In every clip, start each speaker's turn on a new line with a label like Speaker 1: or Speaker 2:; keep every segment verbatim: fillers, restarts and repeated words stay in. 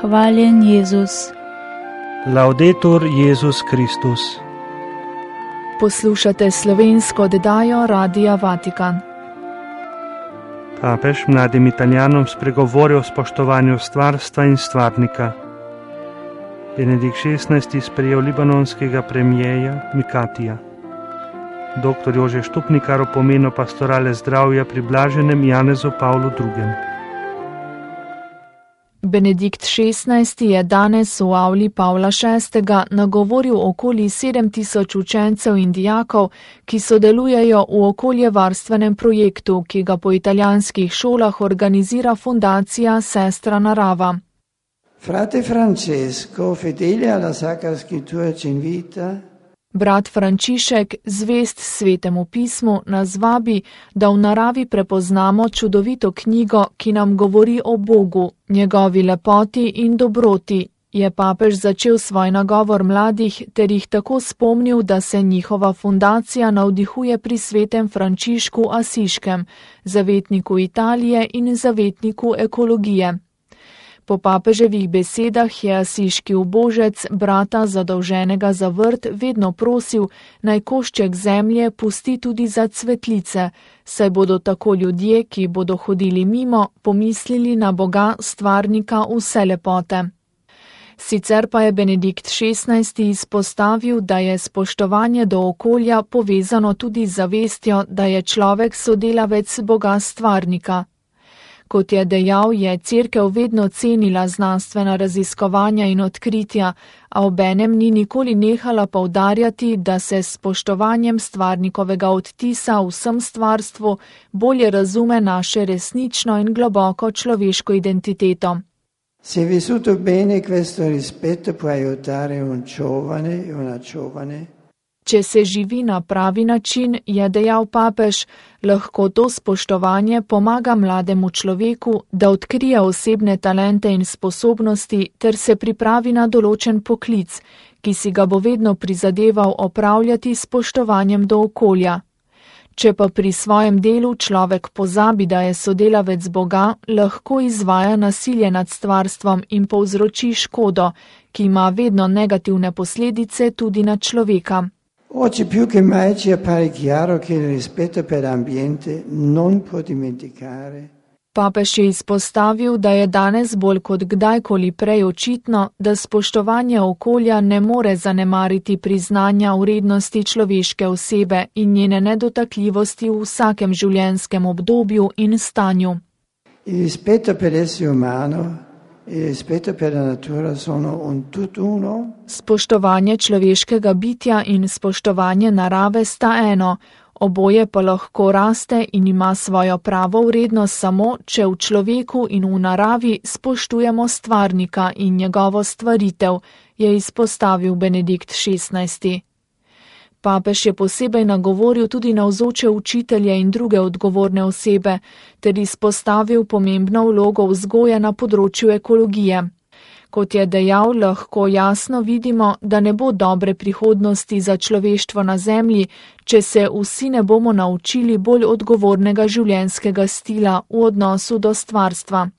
Speaker 1: Hvaljen Jezus.
Speaker 2: Laudetur Jezus Kristus.
Speaker 3: Poslušate slovensko oddajo Radia Vatikan.
Speaker 2: Papež mladim Italijanom spregovori o spoštovanju stvarstva in stvarnika. Benedikt šestnajsti sprejel libanonskega premijeja Mikatija. Doktor Jože Štupnikar o pomenu pastorale zdravja pri blaženem Janezu Pavlu drugem.
Speaker 3: Benedikt šestnajsti je danes v avli Pavla šestega nagovoril okoli sedem tisoč učencev in dijakov, ki sodelujejo v okoljevarstvenem projektu, ki ga po italijanskih šolah organizira fundacija Sestra Narava.
Speaker 4: Frate Francesco, fedele alla Sacra Scrittura ci invita.
Speaker 3: Brat Frančišek, zvest Svetemu pismu, nas vabi, da v naravi prepoznamo čudovito knjigo, ki nam govori o Bogu, njegovi lepoti in dobroti, je papež začel svoj nagovor mladih ter jih tako spomnil, da se njihova fundacija navdihuje pri svetem Frančišku Asiškem, zavetniku Italije in zavetniku ekologije. Po papeževih besedah je asiški ubožec brata zadolženega za vrt vedno prosil, naj košček zemlje pusti tudi za cvetlice, saj bodo tako ljudje, ki bodo hodili mimo, pomislili na Boga stvarnika vse lepote. Sicer pa je Benedikt šestnajsti izpostavil, da je spoštovanje do okolja povezano tudi z zavestjo, da je človek sodelavec Boga stvarnika. Kot je dejal, je Cerkev vedno cenila znanstvena raziskovanja in odkritja, a obenem ni nikoli nehala poudarjati, da se s spoštovanjem stvarnikovega odtisa v vsem stvarstvu bolje razume naše resnično in globoko človeško identiteto.
Speaker 4: Se vissuto bene questo rispetto può aiutare un giovane e una giovane.
Speaker 3: Če se živi na pravi način, je dejal papež, lahko to spoštovanje pomaga mlademu človeku, da odkrije osebne talente in sposobnosti ter se pripravi na določen poklic, ki si ga bo vedno prizadeval opravljati s spoštovanjem do okolja. Če pa pri svojem delu človek pozabi, da je sodelavec Boga, lahko izvaja nasilje nad stvarstvom in povzroči škodo, ki ima vedno negativne posledice tudi na človeka.
Speaker 4: Oggi più che mai ci appare chiaro che il rispetto per l'ambiente non può dimenticare.
Speaker 3: Papež je izpostavil, da je danes bolj kot kdajkoli prej očitno, da spoštovanje okolja ne more zanemariti priznanja vrednosti človeške osebe in njene nedotakljivosti v vsakem življenjskem obdobju in stanju.
Speaker 4: Il rispetto per l'essere umano e rispetto per la natura sono un tutt'uno.
Speaker 3: Spoštovanje človeškega bitja in spoštovanje narave sta eno, oboje pa lahko raste in ima svojo pravo vrednost samo, če v človeku in v naravi spoštujemo stvarnika in njegovo stvaritev, je izpostavil Benedikt šestnajsti. Papež je posebej nagovoril tudi navzoče učitelje in druge odgovorne osebe, ter izpostavil pomembno vlogo vzgoje na področju ekologije. Kot je dejal, lahko jasno vidimo, da ne bo dobre prihodnosti za človeštvo na zemlji, če se vsi ne bomo naučili bolj odgovornega življenjskega stila v odnosu do stvarstva.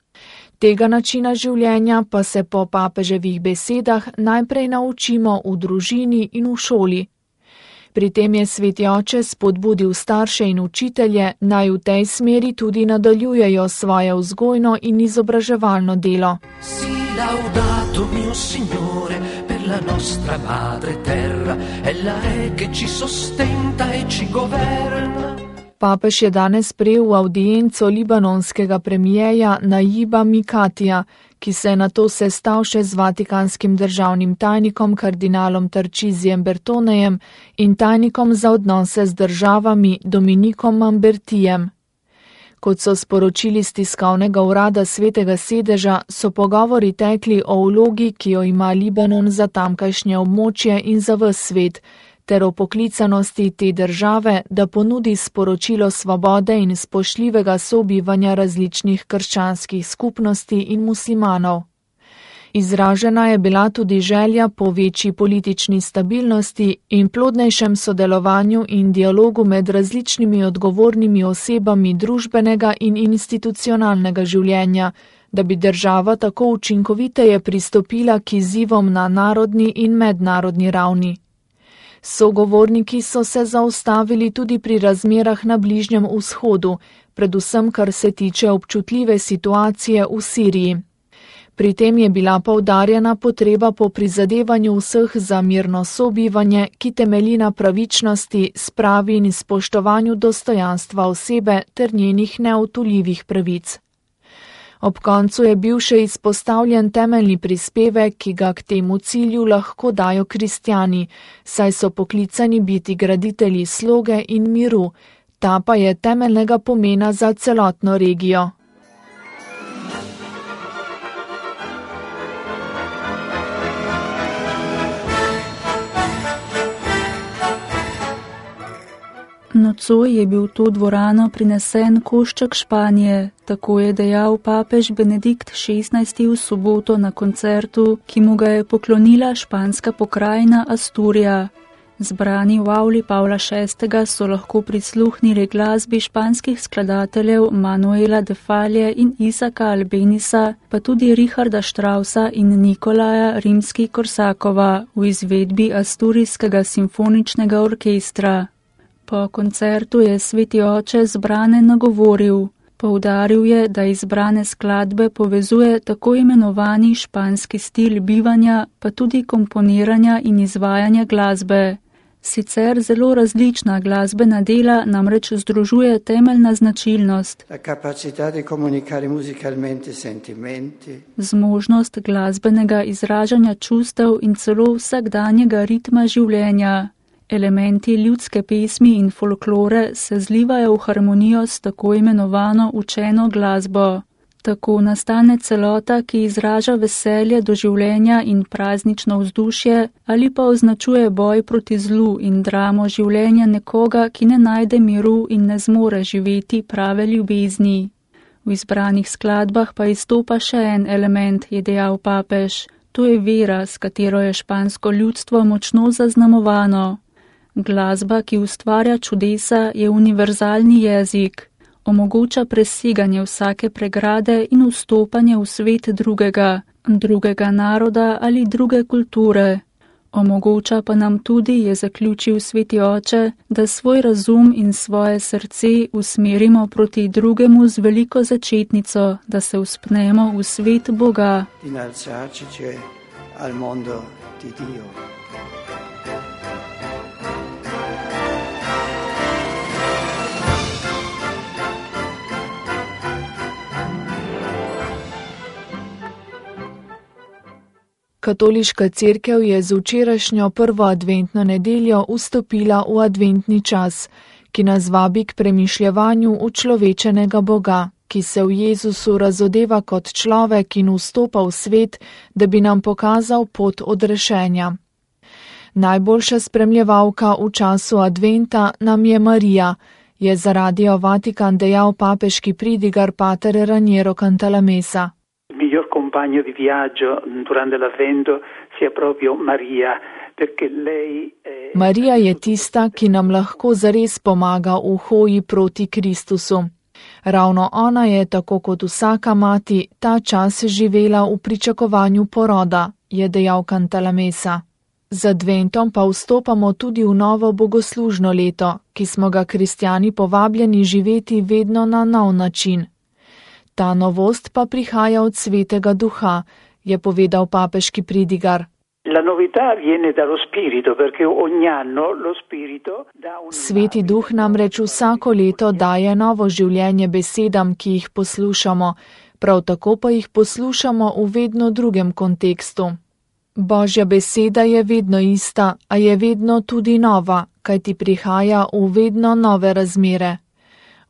Speaker 3: Tega načina življenja pa se po papeževih besedah najprej naučimo v družini in v šoli. Pri tem je Sveti oče spodbudil starše in učitelje, naj v tej smeri tudi nadaljujejo svoje vzgojno in izobraževalno delo.
Speaker 5: Si laudato mio Signore per la nostra madre terra, ella è che ci sostenta e ci governa.
Speaker 3: Papež je danes prejel avdienco libanonskega premijeja Najiba Mikatija, ki se je nato sestal še z vatikanskim državnim tajnikom kardinalom Tarčizijem Bertonejem in tajnikom za odnose z državami Dominikom Mambertijem. Kot so sporočili z tiskovnega urada Svetega sedeža, so pogovori tekli o vlogi, ki jo ima Libanon za tamkajšnje območje in za ves svet, ter o poklicanosti te države, da ponudi sporočilo svobode in spoštljivega sobivanja različnih krščanskih skupnosti in muslimanov. Izražena je bila tudi želja po večji politični stabilnosti in plodnejšem sodelovanju in dialogu med različnimi odgovornimi osebami družbenega in institucionalnega življenja, da bi država tako učinkoviteje pristopila k izzivom na narodni in mednarodni ravni. Sogovorniki so se zaustavili tudi pri razmerah na Bližnjem vzhodu, predvsem kar se tiče občutljive situacije v Siriji. Pri tem je bila poudarjena potreba po prizadevanju vseh za mirno sobivanje, ki temelji na pravičnosti, spravi in spoštovanju dostojanstva osebe ter njenih neodtujljivih pravic. Ob koncu je bil še izpostavljen temeljni prispevek, ki ga k temu cilju lahko dajo kristjani, saj so poklicani biti graditelji sloge in miru, ta pa je temeljnega pomena za celotno regijo.
Speaker 1: Nocoj je bil v to dvorano prinesen košček Španije, tako je dejal papež Benedikt šestnajsti v soboto na koncertu, ki mu ga je poklonila španska pokrajina Asturija. Zbrani v avli Pavla šestega so lahko prisluhnili glasbi španskih skladateljev Manuela de Falla in Isaka Albenisa, pa tudi Richarda Straussa in Nikolaja Rimski-Korsakova v izvedbi Asturijskega simfoničnega orkestra. Po koncertu je sveti oče zbrane nagovoril. Poudaril je, da izbrane skladbe povezuje tako imenovani španski stil bivanja, pa tudi komponiranja in izvajanja glasbe. Sicer zelo različna glasbena dela namreč združuje temeljna značilnost. Zmožnost glasbenega izražanja čustev in celo vsakdanjega ritma življenja. Elementi ljudske pesmi in folklore se zlivajo v harmonijo s tako imenovano učeno glasbo. Tako nastane celota, ki izraža veselje do življenja in praznično vzdušje, ali pa označuje boj proti zlu in dramo življenja nekoga, ki ne najde miru in ne zmore živeti prave ljubezni. V izbranih skladbah pa izstopa še en element, je dejal papež. To je vera, s katero je špansko ljudstvo močno zaznamovano. Glasba, ki ustvarja čudesa, je univerzalni jezik. Omogoča preseganje vsake pregrade in vstopanje v svet drugega, drugega naroda ali druge kulture. Omogoča pa nam tudi, je zaključil sveti oče, da svoj razum in svoje srce usmerimo proti drugemu z veliko začetnico, da se vzpnemo v svet Boga.
Speaker 3: Katoliška cerkev je z včerajšnjo prvo adventno nedeljo vstopila v adventni čas, ki nas vabi k premišljevanju učlovečenega Boga, ki se v Jezusu razodeva kot človek in vstopa v svet, da bi nam pokazal pot odrešenja. Najboljša spremljevalka v času adventa nam je Marija, je za Radio Vatikan dejal papeški pridigar pater Raniero Cantalamessa.
Speaker 6: Miglior compagno di viaggio durante l'avvento sia proprio Maria, perché lei è...
Speaker 3: Marija je tista, ki nam lahko zares pomaga v hoji proti Kristusu. Ravno ona je, tako kot vsaka mati, ta čas živela v pričakovanju poroda, je dejal Cantalamessa. Z adventom pa vstopamo tudi v novo bogoslužno leto, ki smo ga kristjani povabljeni živeti vedno na nov način. Ta novost pa prihaja od Svetega Duha, je povedal papeški pridigar. Sveti Duh namreč vsako leto daje novo življenje besedam, ki jih poslušamo, prav tako pa jih poslušamo v vedno drugem kontekstu. Božja beseda je vedno ista, a je vedno tudi nova, kajti prihaja v vedno nove razmere.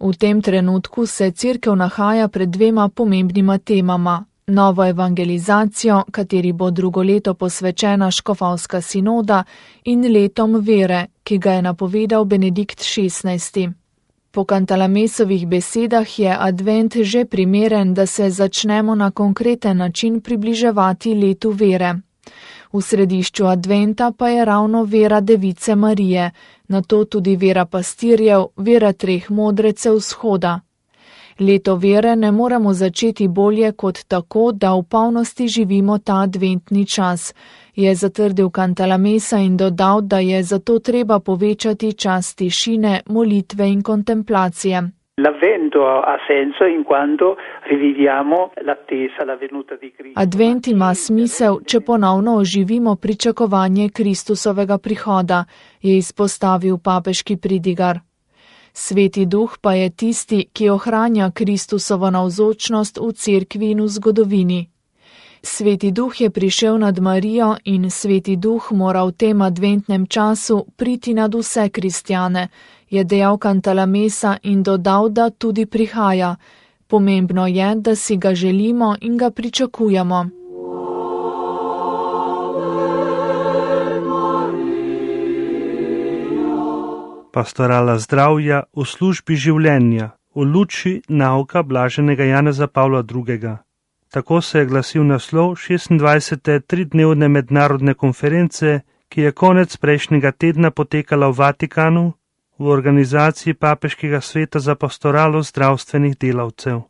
Speaker 3: V tem trenutku se cerkev nahaja pred dvema pomembnima temama. Novo evangelizacijo, kateri bo drugo leto posvečena škofovska sinoda, in letom vere, ki ga je napovedal Benedikt šestnajsti. Po Cantalamessovih besedah je advent že primeren, da se začnemo na konkreten način približevati letu vere. V središču adventa pa je ravno vera Device Marije, nato tudi vera pastirjev, vera treh modrecev vzhoda. Leto vere ne moremo začeti bolje kot tako, da v polnosti živimo ta adventni čas, je zatrdil Cantalamessa in dodal, da je zato treba povečati čas tišine, molitve in kontemplacije.
Speaker 6: L'avvento ha senso in quanto riviviamo l'attesa, la venuta di Cristo.
Speaker 3: Advent ima smisel, če ponovno oživimo pričakovanje Kristusovega prihoda, je izpostavil papeški pridigar. Sveti duh pa je tisti, ki ohranja Kristusovo navzočnost v cerkvi in v zgodovini. Sveti duh je prišel nad Marijo in Sveti duh mora v tem adventnem času priti nad vse kristjane, je dejal Cantalamessa in dodal, da tudi prihaja. Pomembno je, da si ga želimo in ga pričakujemo.
Speaker 2: Pastorala zdravja v službi življenja, v luči nauka blaženega Janeza Pavla drugega. Tako se je glasil naslov šestindvajsete tridnevne mednarodne konference, ki je konec prejšnjega tedna potekala v Vatikanu v organizaciji Papeškega sveta za pastoralo zdravstvenih delavcev.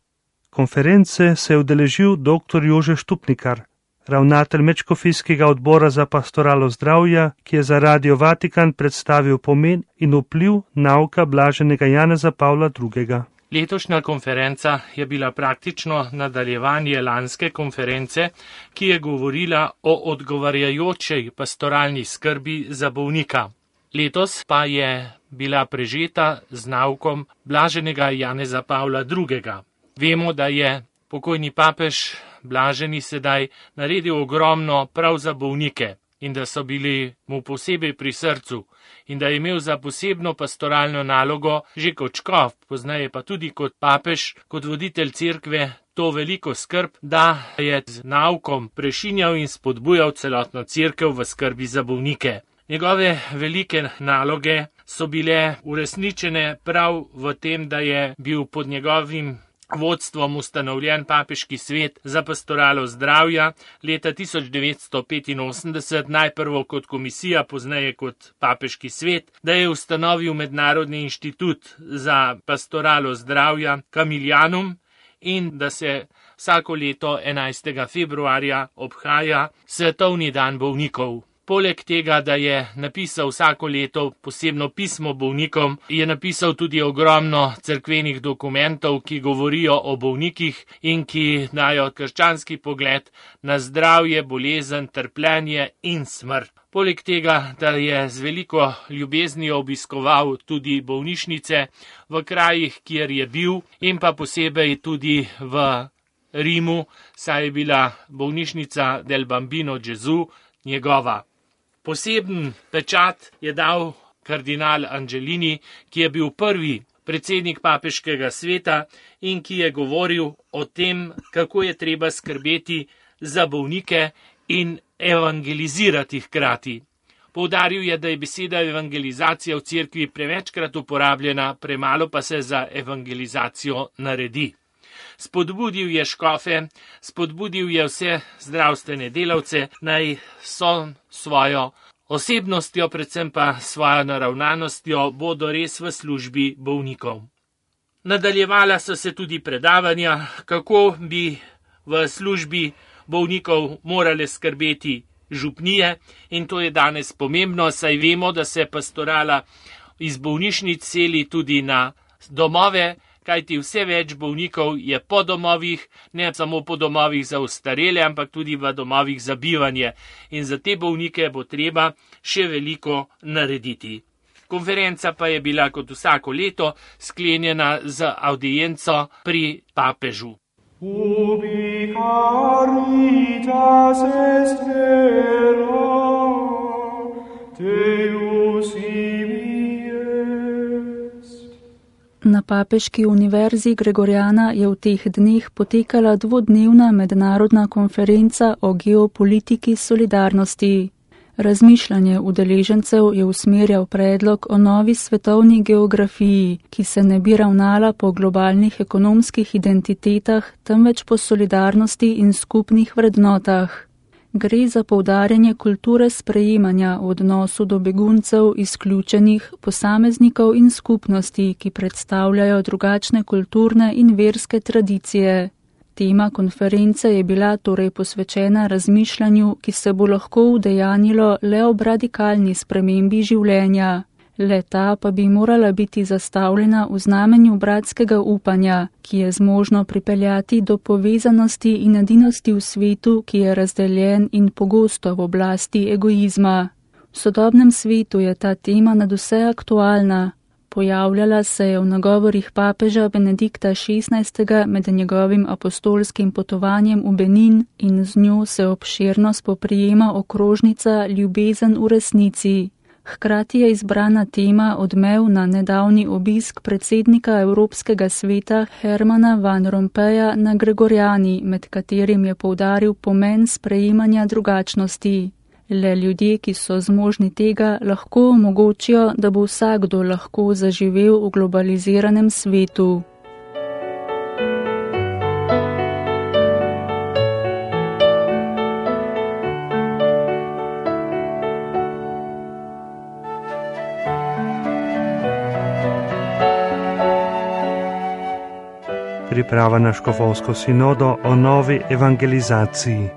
Speaker 2: Konference se je udeležil dr. Jože Štupnikar, ravnatelj Medškofijskega odbora za pastoralo zdravja, ki je za Radio Vatikan predstavil pomen in vpliv nauka blaženega Janeza Pavla drugega.
Speaker 7: Letošnja konferenca je bila praktično nadaljevanje lanske konference, ki je govorila o odgovarjajočej pastoralni skrbi za bolnika. Letos pa je bila prežeta z naukom blaženega Janeza Pavla drugega. Vemo, da je pokojni papež blaženi sedaj naredil ogromno prav za bolnike in da so bili mu posebej pri srcu in da je imel za posebno pastoralno nalogo že kot škof, poznaje pa tudi kot papež, kot voditelj cerkve, to veliko skrb, da je z naukom prešinjal in spodbujal celotno cerkev v skrbi za bolnike. Njegove velike naloge so bile uresničene prav v tem, da je bil pod njegovim vodstvom ustanovljen papeški svet za pastoralo zdravja leta tisoč devetsto petinosemdeset, najprvo kot komisija, pozneje kot papeški svet, da je ustanovil Mednarodni inštitut za pastoralo zdravja Camilianum in da se vsako leto enajstega februarja obhaja Svetovni dan bolnikov. Poleg tega, da je napisal vsako leto posebno pismo bolnikom, je napisal tudi ogromno cerkvenih dokumentov, ki govorijo o bolnikih in ki dajo krščanski pogled na zdravje, bolezen, trpljenje in smrt. Poleg tega, da je z veliko ljubeznijo obiskoval tudi bolnišnice v krajih, kjer je bil, in pa posebej tudi v Rimu, saj je bila bolnišnica del Bambino Gesù njegova. Poseben pečat je dal kardinal Angelini, ki je bil prvi predsednik papeškega sveta in ki je govoril o tem, kako je treba skrbeti za bolnike in evangelizirati hkrati. Poudaril je, da je beseda evangelizacija v cerkvi prevečkrat uporabljena, premalo pa se za evangelizacijo naredi. Spodbudil je škofe, spodbudil je vse zdravstvene delavce, naj so svojo osebnostjo, predvsem pa svojo naravnanostjo, bodo res v službi bolnikov. Nadaljevala so se tudi predavanja, kako bi v službi bolnikov morale skrbeti župnije, in to je danes pomembno, saj vemo, da se pastorala iz bolnišnic seli tudi na domove, kajti vse več bolnikov je po domovih, ne samo po domovih za ostarele, ampak tudi v domovih za bivanje. In za te bolnike bo treba še veliko narediti. Konferenca pa je bila kot vsako leto sklenjena z avdienco pri papežu.
Speaker 8: Ubi caritas est vera, Deus
Speaker 1: Na Papeški univerzi Gregoriana je v teh dneh potekala dvodnevna mednarodna konferenca o geopolitiki solidarnosti. Razmišljanje udeležencev je usmerjal predlog o novi svetovni geografiji, ki se ne bi ravnala po globalnih ekonomskih identitetah, temveč po solidarnosti in skupnih vrednotah. Gre za poudarjanje kulture sprejemanja v odnosu do beguncev, izključenih, posameznikov in skupnosti, ki predstavljajo drugačne kulturne in verske tradicije. Tema konference je bila torej posvečena razmišljanju, ki se bo lahko udejanilo le ob radikalni spremembi življenja. Le-ta pa bi morala biti zastavljena v znamenju bratskega upanja, ki je zmožno pripeljati do povezanosti in edinosti v svetu, ki je razdeljen in pogosto v oblasti egoizma. V sodobnem svetu je ta tema nadvse aktualna. Pojavljala se je v nagovorih papeža Benedikta šestnajstega med njegovim apostolskim potovanjem v Benin in z njo se obširno spoprijema okrožnica Ljubezen v resnici. Hkrati je izbrana tema odmev na nedavni obisk predsednika Evropskega sveta Hermana Van Rompuya na Gregorjani, med katerim je poudaril pomen sprejemanja drugačnosti. Le ljudje, ki so zmožni tega, lahko omogočijo, da bo vsakdo lahko zaživel v globaliziranem svetu.
Speaker 2: Priprava na škofovsko sinodo o novi evangelizaciji.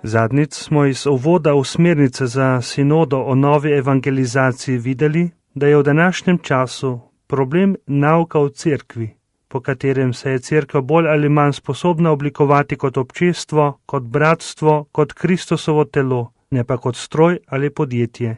Speaker 2: Zadnjič smo iz uvoda v smernice za sinodo o novi evangelizaciji videli, da je v današnjem času problem nauka v cerkvi, po katerem se je cerkev bolj ali manj sposobna oblikovati kot občestvo, kot bratstvo, kot Kristusovo telo, ne pa kot stroj ali podjetje.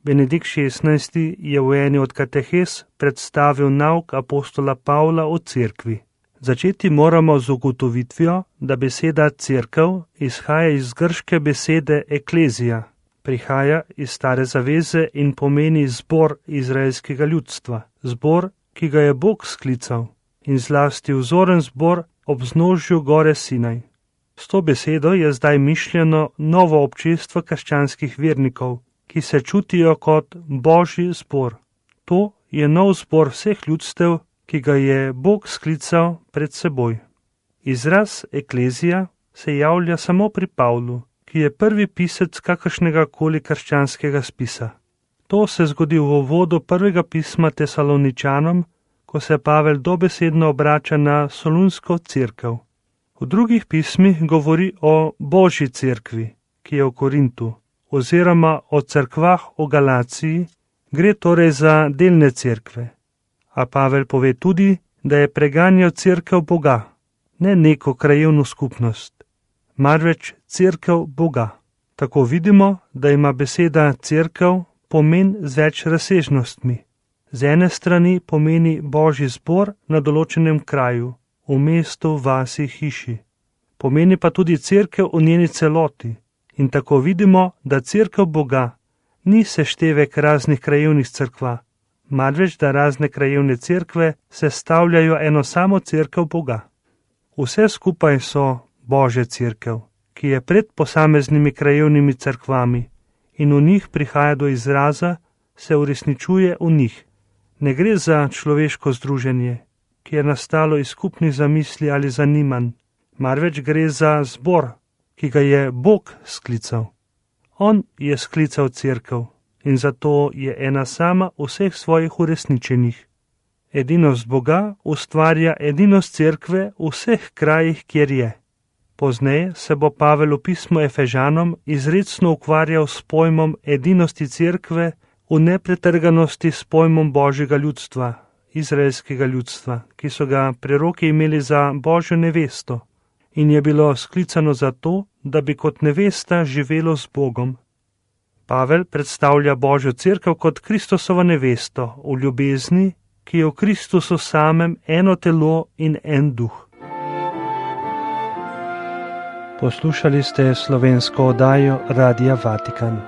Speaker 2: Benedikt šestnajsti je v eni od katehes predstavil nauk apostola Pavla o cerkvi. Začeti moramo z ugotovitvijo, da beseda cerkev izhaja iz grške besede eklezija, prihaja iz stare zaveze in pomeni zbor izraelskega ljudstva, zbor, ki ga je Bog sklical, in zlasti vzoren zbor ob vznožju gore Sinaj. S to besedo je zdaj mišljeno novo občestvo krščanskih vernikov, ki se čutijo kot Božji zbor. To je nov zbor vseh ljudstev, ki ga je Bog sklical pred seboj. Izraz eklezija se javlja samo pri Pavlu, ki je prvi pisec kakršnega koli krščanskega spisa. To se zgodi v uvodu prvega pisma Tesaloničanom, ko se Pavel dobesedno obrača na solunsko cerkev. V drugih pismih govori o Božji cerkvi, ki je v Korintu, oziroma o cerkvah v Galaciji, gre torej za delne cerkve. A Pavel pove tudi, da je preganjal cerkev Boga, ne neko krajevno skupnost, marveč cerkev Boga. Tako vidimo, da ima beseda cerkev pomen z več razsežnostmi. Z ene strani pomeni Božji zbor na določenem kraju, v mestu, vasi, hiši. Pomeni pa tudi cerkev v njeni celoti. In tako vidimo, da cerkev Boga ni seštevek raznih krajevnih cerkva, marveč da razne krajevne cerkve sestavljajo eno samo cerkev Boga. Vse skupaj so Božja cerkev, ki je pred posameznimi krajevnimi cerkvami in v njih prihaja do izraza, se uresničuje v njih. Ne gre za človeško združenje, ki je nastalo iz skupnih zamisli ali zanimanj, marveč gre za zbor, ki ga je Bog sklical. On je sklical cerkev in zato je ena sama vseh svojih uresničenih. Edinost Boga ustvarja edinost cerkve v vseh krajih, kjer je. Pozneje se bo Pavel v pismu Efežanom izrecno ukvarjal s pojmom edinosti cerkve v nepretrganosti s pojmom Božjega ljudstva, izraelskega ljudstva, ki so ga preroki imeli za Božjo nevesto in je bilo sklicano za to, da bi kot nevesta živelo z Bogom. Pavel predstavlja Božjo cerkev kot Kristusovo nevesto v ljubezni, ki je v Kristusu samem eno telo in en duh. Poslušali ste slovensko oddajo Radia Vatikan.